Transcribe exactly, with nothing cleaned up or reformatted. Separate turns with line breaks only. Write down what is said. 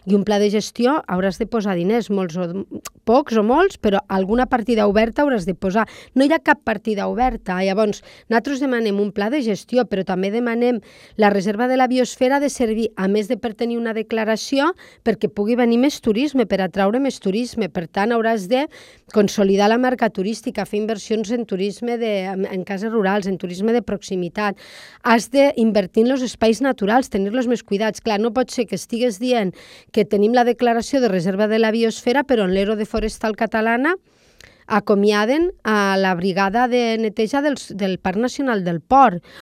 I un pla de gestió hauràs de posar diners, molts o pocs o molts, però alguna partida oberta hauràs de posar. No hi ha cap partida oberta. Llavors, nosaltres demanem un pla de gestió, però també demanem la reserva de la biosfera de servir, a més de per tenir una declaració, perquè pugui venir més turisme, per atraure més turisme. Per tant, hauràs de consolidar la marca turística, fer inversions en turisme de, en cases rurals, en turisme de proximitat. Has d'invertir en els espais naturals, tenir-los més cuidats. Clar, no pot ser que estigues dient que tenim la declaració de reserva de la biosfera, però en l'Ero de Forestal Catalana acomiaden a la brigada de neteja del, del Parc Nacional del Port,